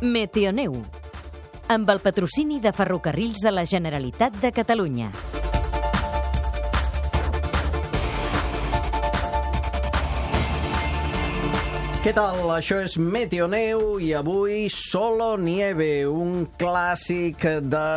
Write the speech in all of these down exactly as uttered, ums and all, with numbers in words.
Meteoneu, amb el patrocini de Ferrocarrils de la Generalitat de Catalunya. Què tal? Això és Meteoneu i avui Solo Nieve, un clàssic de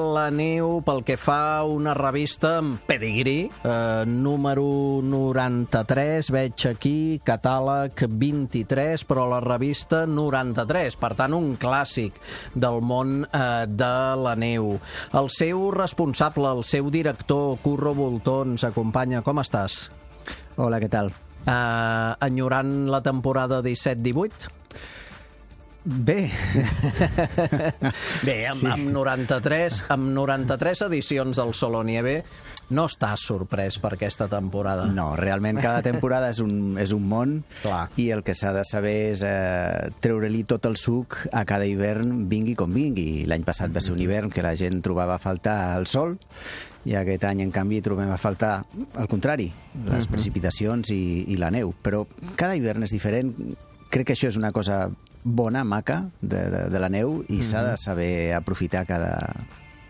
la neu pel que fa a una revista amb pedigrí, eh, número noranta-tres, veig aquí, catàleg vint-i-tres, però la revista noranta-tres, per tant un clàssic del món eh, de la neu. El seu responsable, el seu director, Curro Voltó, ens acompanya. Com estàs? Hola, què tal? Uh, enyorant la temporada disset divuit? Bé. Bé, amb, sí. amb noranta-tres amb noranta-tres edicions del Solo Nieve no estàs sorprès per aquesta temporada. No, realment cada temporada és un, és un món. Clar. I el que s'ha de saber és eh, treure-li tot el suc a cada hivern, vingui com vingui. L'any passat va ser un hivern que la gent trobava a faltar el sol, i aquest any, en canvi, trobem a faltar, al contrari, les uh-huh. precipitacions i, i la neu. Però cada hivern és diferent. Crec que això és una cosa bona, maca, de, de, de la neu, i uh-huh. s'ha de saber aprofitar cada,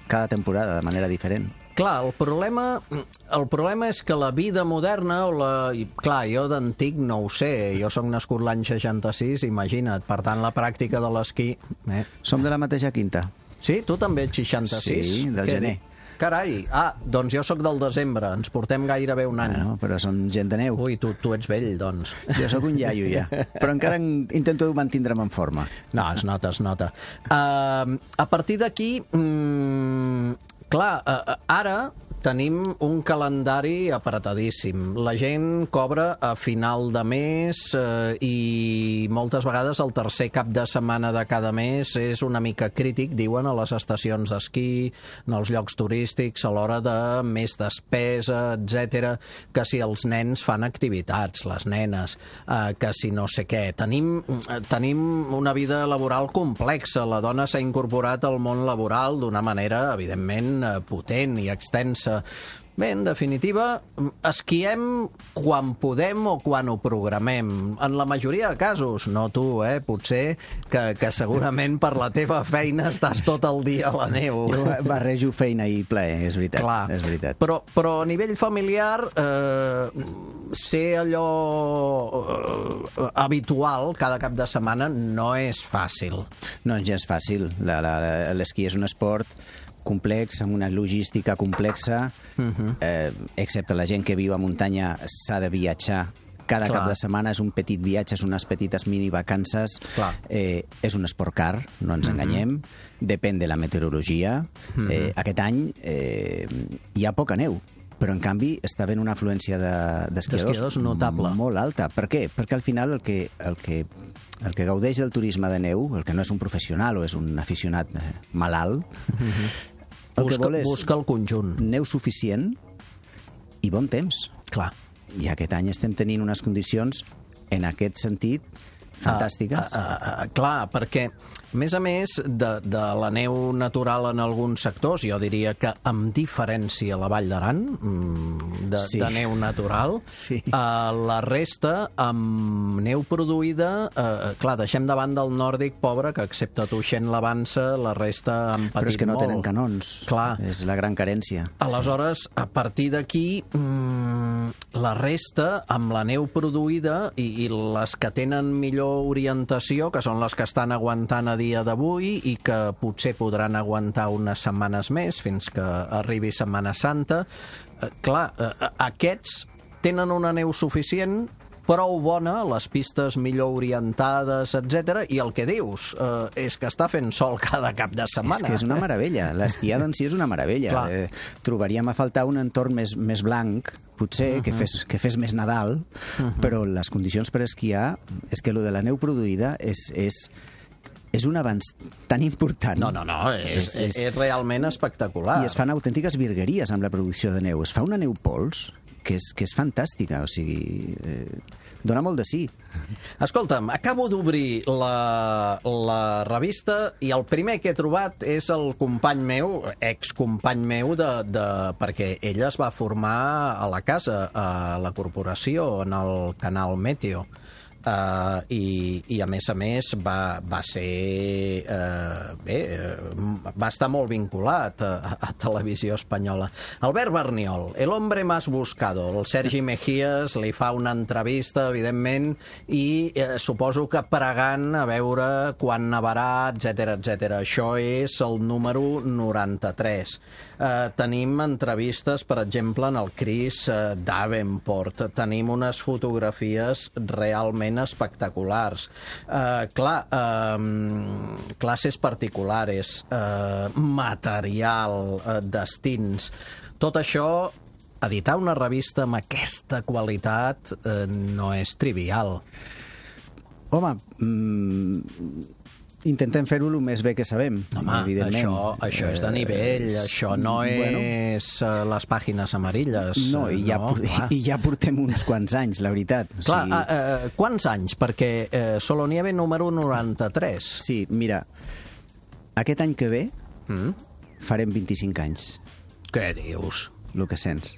cada temporada de manera diferent. Clar, el problema, el problema és que la vida moderna, o la, clar, jo d'antic no ho sé, jo soc nascut l'any seixanta-sis, imagina't, per tant la pràctica de l'esquí... Eh. Som de la mateixa quinta. Sí? Tu també ets seixanta-sis? Sí, del Què gener. Dic? Carai, ah, doncs jo sóc del desembre, ens portem gairebé un any. Bueno, però som gent de neu. Ui, tu, tu ets vell, doncs. Jo sóc un iaio, ja. Però encara intento mantindre'm en forma. No, es nota, es nota. Uh, a partir d'aquí, mm, clar, uh, ara tenim un calendari apretadíssim. La gent cobra a final de mes eh, i moltes vegades el tercer cap de setmana de cada mes és una mica crític, diuen, a les estacions d'esquí, en els llocs turístics, a l'hora de més despesa, etcètera, que si els nens fan activitats, les nenes, eh, que si no sé què. Tenim, tenim una vida laboral complexa. La dona s'ha incorporat al món laboral d'una manera, evidentment, potent i extensa. Bé, en definitiva, esquiem quan podem o quan ho programem. En la majoria de casos, no tu, eh? Potser que, que segurament per la teva feina estàs tot el dia a la neu. Jo barrejo feina i plaer, és veritat. Clar, és veritat. Però, però a nivell familiar, eh, ser allò eh, habitual cada cap de setmana no és fàcil. No, ja és fàcil. L'esquí és un esport complex, amb una logística complexa, uh-huh. eh, excepte la gent que viu a muntanya s'ha de viatjar cada Clar. cap de setmana, és un petit viatge, és unes petites mini-vacances, eh, és un esport car, no ens uh-huh. enganyem, depèn de la meteorologia. Uh-huh. Eh, aquest any eh, hi ha poca neu, però en canvi està havent una afluència d'esquiadors de, notable. Molt alta. Per què? Perquè al final el que, el que el que gaudeix del turisme de neu, el que no és un professional o és un aficionat malalt, uh-huh. el busca, que vol és busca el conjunt. Neu suficient i bon temps. Clar. I aquest any estem tenint unes condicions, en aquest sentit, fantàstiques. Uh, uh, uh, clar, perquè, a més a més de, de la neu natural en alguns sectors, jo diria que amb diferència a la Vall d'Aran, de, sí. de neu natural, sí. uh, la resta amb neu produïda, uh, clar, deixem davant del nòrdic pobre, que excepte Tuixén l'Avança, la resta han patit molt. Però és que no molt. tenen canons. Clar. És la gran carència. Aleshores, a partir d'aquí, mm, la resta, amb la neu produïda i, i les que tenen millor orientació, que són les que estan aguantant a dia d'avui i que potser podran aguantar unes setmanes més fins que arribi Setmana Santa. Eh, clar, eh, aquests tenen una neu suficient, prou bona, les pistes millor orientades, etcètera, i el que dius eh, és que està fent sol cada cap de setmana. És que és una meravella. L'esquiada en si és una meravella. Eh, trobaríem a faltar un entorn més, més blanc, potser, uh-huh. que, fes, que fes més Nadal, uh-huh. però les condicions per esquiar és que lo de la neu produïda és... és és un avanç tan important. No, no, no, és, és, és realment espectacular. I es fan autèntiques virgueries amb la producció de neu. Es fa una neu pols que és, que és fantàstica, o sigui, eh, dona molt de sí. Escolta'm, acabo d'obrir la, la revista i el primer que he trobat és el company meu, excompany meu, de, de, perquè ell es va formar a la casa, a la corporació, en el canal Meteo. Uh, i, i a més a més va, va ser uh, bé, uh, va estar molt vinculat a, a televisió espanyola. Albert Berniol, el hombre más buscado. El Sergi Mejías li fa una entrevista, evidentment, i uh, suposo que pregant a veure quan nevarà, etcètera, etcètera. Això és el número noranta-tres. Uh, tenim entrevistes, per exemple, en el Chris uh, Davenport. Tenim unes fotografies realment espectaculars. Uh, clar, uh, classes particulares, uh, material, uh, destins. Tot això, editar una revista amb aquesta qualitat uh, no és trivial. Home, mm, intentem fer-ho el més bé que sabem, Home, evidentment. Això, això és de nivell, eh, això no bueno, és uh, les pàgines amarilles. No, i ja, no, por i ja portem uns quants anys, la veritat. Clar, o sigui... uh, uh, quants anys? Perquè uh, Solonieve número noranta-tres. Sí, mira, aquest any que ve Mm? farem vint-i-cinc anys, Què dius? el que sents.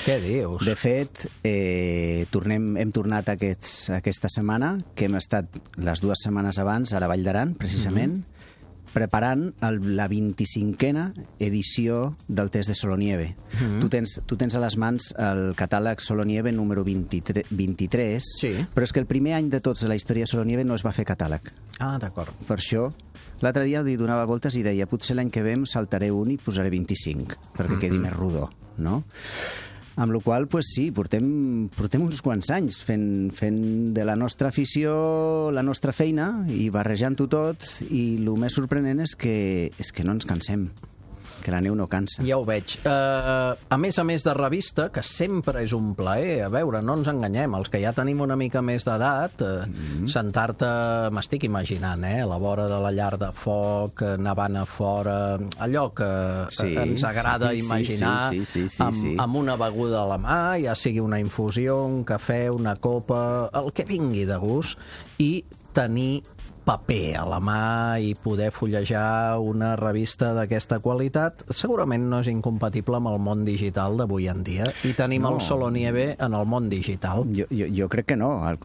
Què dius? De fet, eh, tornem, hem tornat aquests, aquesta setmana, que hem estat les dues setmanes abans a la Vall d'Aran, precisament, mm-hmm. preparant el, la vint-i-cinquena edició del test de Solonieve. Mm-hmm. tu, tens, tu tens a les mans el catàleg Solonieve número vint-i-tres, vint-i-tres, Sí. però és que el primer any de tots de la història de Solonieve no es va fer catàleg. Ah, d'acord. Per això, l'altre dia li donava voltes i deia potser l'any que ve em saltaré un i posaré vint-i-cinc, perquè quedi mm-hmm. més rodó, no? Amb la qual cosa, pues sí, portem, portem uns quants anys fent, fent de la nostra afició la nostra feina i barrejant-ho tot, i el més sorprenent és que, és que no ens cansem, que la neu no cansa. Ja ho veig. Uh, a més a més de revista, que sempre és un plaer, a veure, no ens enganyem, els que ja tenim una mica més d'edat, uh, mm-hmm. sentar-te, m'estic imaginant, eh, a la vora de la llar de foc, nevant a fora, allò que Sí, ens agrada sí, sí, imaginar, sí, sí, sí, sí, amb, sí. amb una beguda a la mà, ja sigui una infusió, un cafè, una copa, el que vingui de gust, i tenir paper a la mà i poder fullejar una revista d'aquesta qualitat segurament no és incompatible amb el món digital d'avui en dia, i tenim No. el Solonieve en el món digital. Jo, jo, jo crec que no, al,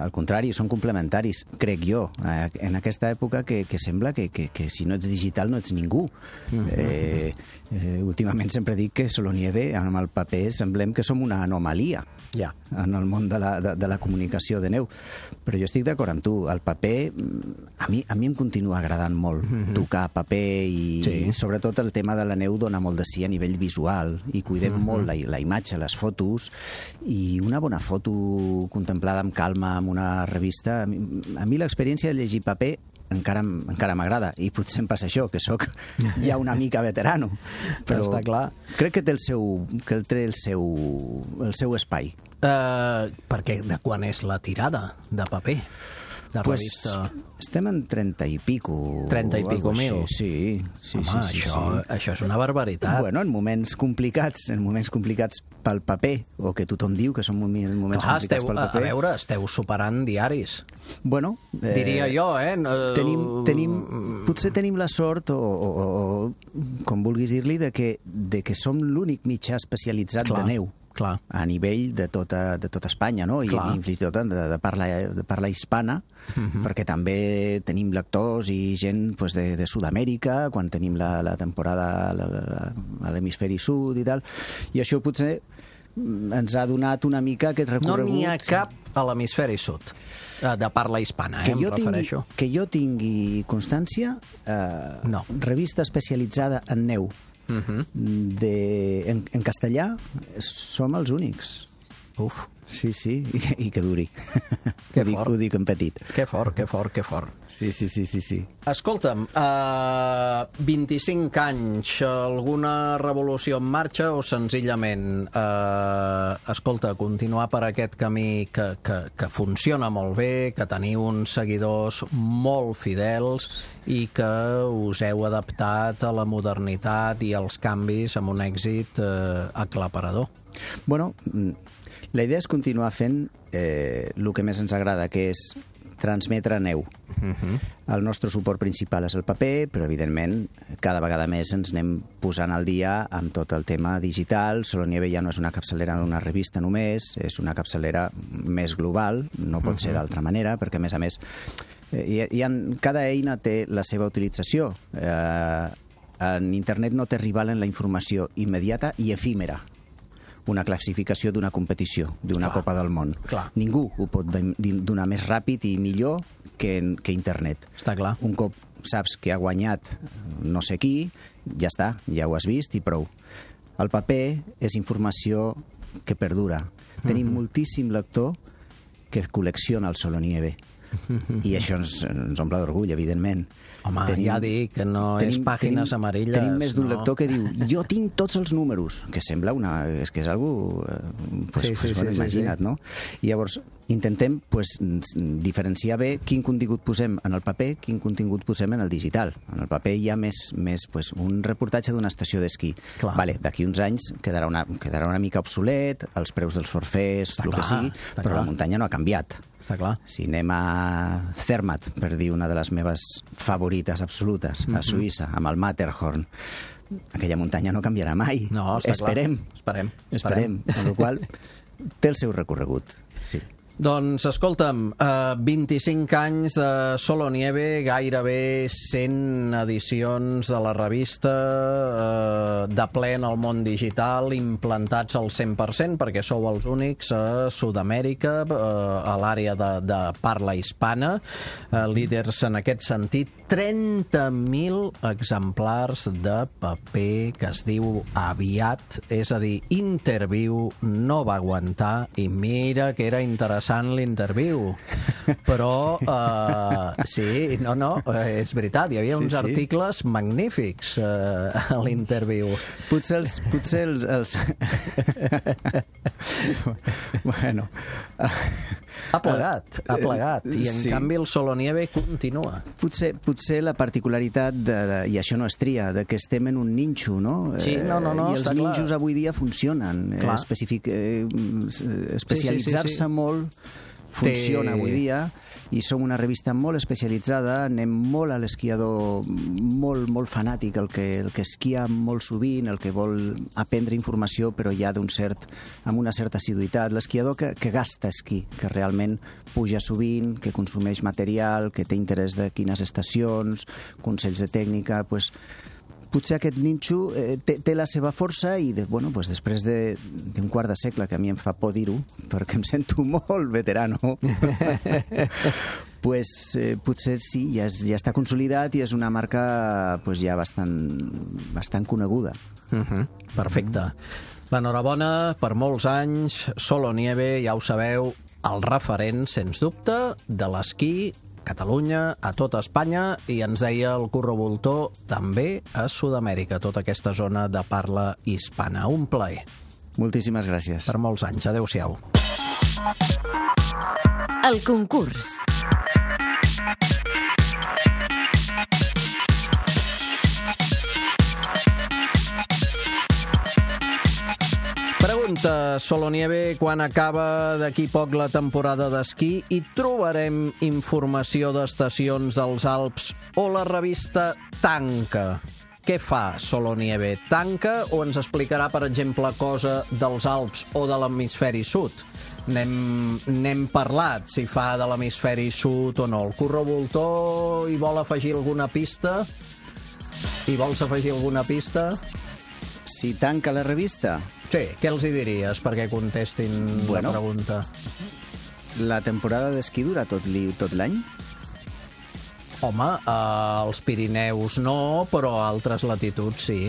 al contrari, són complementaris, crec jo, en aquesta època que, que sembla que, que, que si no ets digital no ets ningú. Mm-hmm. eh, eh, últimament sempre dic que Solonieve, amb el paper, semblem que som una anomalia Ja. en el món de la, de, de la comunicació de neu. Però jo estic d'acord amb tu, el paper, a mi, a mi em continua agradant molt mm-hmm. tocar paper, i Sí. sobretot el tema de la neu dona molt de sí a nivell visual, i cuidem mm-hmm. molt la, la imatge, les fotos, i una bona foto contemplada amb calma en una revista. A mi, a mi l'experiència de llegir paper encara, encara m'agrada, i potser em passa això, que sóc ja una mica veterano, però Està clar. crec que té el seu, que té el seu, el seu espai. Uh, perquè de quan és la tirada de paper? De Pues, revista... estem en trenta i pico. trenta i o pico algo així. mil. Sí, sí, Home, sí, sí, això, sí. això és una barbaritat. Bueno, en moments complicats, en moments complicats pel paper, o que tothom diu que són moments Clar, complicats esteu, pel a, paper. a veure, esteu superant diaris. Bueno, eh, Diria jo, eh? No, Tenim, tenim, potser tenim la sort, o, o, o com vulguis dir-li, de, que, de que som l'únic mitjà especialitzat Clar, de neu. clar. A nivell de tota, de tota Espanya, no? I, Clar. i fins i tot de, de, parla, de parla hispana, uh-huh. perquè també tenim lectors i gent pues, de, de Sud-amèrica, quan tenim la, la temporada la, la, a l'hemisferi sud i tal, i això potser ens ha donat una mica aquest No recorregut... n'hi ha cap a l'hemisferi sud, eh, de parla hispana, eh, que em jo, tingui, refereixo. que jo tingui constància, eh, No. revista especialitzada en neu, Uh-huh. de, en, en castellà, som els únics. Uf, Sí, sí, i, i que duri. Que ho, dic, fort. ho dic en petit. que fort, que fort, que fort. Sí, sí, sí, sí, sí. Escolta'm, uh, vint-i-cinc anys, alguna revolució en marxa o senzillament, uh, escolta, continuar per aquest camí que, que, que funciona molt bé, que teniu uns seguidors molt fidels i que us heu adaptat a la modernitat i als canvis amb un èxit uh, aclaparador? Bueno, la idea és continuar fent eh, el que més ens agrada, que és transmetre neu. Uh-huh. El nostre suport principal és el paper, però evidentment cada vegada més ens anem posant al dia amb tot el tema digital. Solonieve ja no és una capçalera d'una revista només, és una capçalera més global, no pot uh-huh. ser d'altra manera, perquè a més a més hi ha, hi ha, cada eina té la seva utilització. Eh, en internet no té rival en la informació immediata i efímera. Una classificació d'una competició, d'una Copa del Món. Clar. Ningú ho pot donar més ràpid i millor que, que internet. Està clar. Un cop saps que ha guanyat no sé qui, ja està, ja ho has vist i prou. El paper és informació que perdura. Mm-hmm. Tenim moltíssim lector que col·lecciona el Solonieve. Mm-hmm. I això ens, ens omple d'orgull, evidentment. Home, tenim, ja dic que no tenim, és pàgines tenim, amarilles. Tenim més d'un no. lector que diu jo tinc tots els números, que sembla una... és que és algú... Eh, pues, sí, sí, pues, bueno, sí, imagina't, sí. no? I llavors intentem pues, diferenciar bé quin contingut posem en el paper, quin contingut posem en el digital. En el paper hi ha més, més pues, un reportatge d'una estació d'esquí. Vale, d'aquí uns anys quedarà una, quedarà una mica obsolet, els preus dels forfers, el que sigui, però clar. La muntanya no ha canviat. Està clar. Si anem a Zermatt, per dir una de les meves favorites absolutes, a Suïssa, amb el Matterhorn, aquella muntanya no canviarà mai. No, està Esperem. clar. Esperem. Esperem. Amb la qual cosa té el seu recorregut. Sí. Doncs, escolta'm, eh, vint-i-cinc anys de Solonieve, gairebé cent edicions de la revista, eh, de ple en el món digital, implantats al cent per cent, perquè sou els únics a Sud-amèrica, eh, a l'àrea de, de parla hispana, eh, líders en aquest sentit, trenta mil exemplars de paper que es diu Aviat, és a dir, Interviu no va aguantar, i mira que era interessant l'interviu, però sí. Uh, sí, no, no, és veritat, hi havia sí, uns sí. articles magnífics uh, a l'Interviu. Potser els... Potser els, els... bueno... Ha plegat, ha plegat, i en sí. canvi el Solonieve continua. Potser, potser la particularitat, de, de, i això no és tria, de que estem en un ninxo, no? Sí, no, no, no, I els ninxos clar. Avui dia funcionen. Eh, especific, eh, especialitzar-se sí, sí, sí, sí. molt funciona Té... avui dia, i som una revista molt especialitzada, anem molt a l'esquiador molt, molt fanàtic, el que, el que esquia molt sovint, el que vol aprendre informació, però ja d'un cert, amb una certa assiduïtat. L'esquiador que, que gasta esquí, que realment puja sovint, que consumeix material, que té interès de quines estacions, consells de tècnica, pues, potser aquest ninxo eh, té, té la seva força i de, bueno, pues després d'un de, quart de segle, que a mi em fa por dir-ho, perquè em sento molt veterano, pues, eh, potser sí, ja, és, ja està consolidat i és una marca pues, ja bastant, bastant coneguda. Uh-huh. Perfecte. L'enhorabona per molts anys, Solonieve, ja ho sabeu, el referent, sens dubte, de l'esquí Catalunya, a tota Espanya, i ens deia el Curro Voltor, també a Sud-amèrica, tota aquesta zona de parla hispana. Un plaer. Moltíssimes gràcies. Per molts anys. Adéu-siau. El concurs. Pregunta, Solonieve, quan acaba d'aquí poc la temporada d'esquí i trobarem informació d'estacions dels Alps o la revista tanca? Què fa Solonieve? Tanca o ens explicarà, per exemple, cosa dels Alps o de l'hemisferi sud? N'hem parlat, si fa de l'hemisferi sud o no. El Curro Voltor hi vol afegir alguna pista? Hi vols afegir alguna pista? Si tanca la revista? Sí, què els hi diries perquè contestin bueno, la pregunta? La temporada d'esquí dura tot l'any? Home, eh, als Pirineus no, però a altres latituds sí.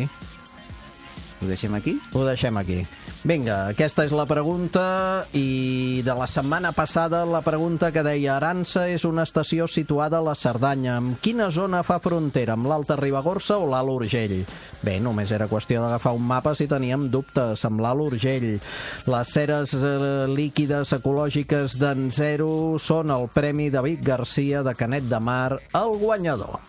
Ho deixem aquí? Ho deixem aquí. Vinga, aquesta és la pregunta, i de la setmana passada la pregunta que deia Aransa és una estació situada a la Cerdanya. Amb quina zona fa frontera? Amb l'Alta Ribagorça o l'Alt Urgell? Bé, només era qüestió d'agafar un mapa si teníem dubtes. Amb l'Alt Urgell. Les ceres eh, líquides ecològiques d'en Zero són el Premi David Garcia de Canet de Mar, el guanyador.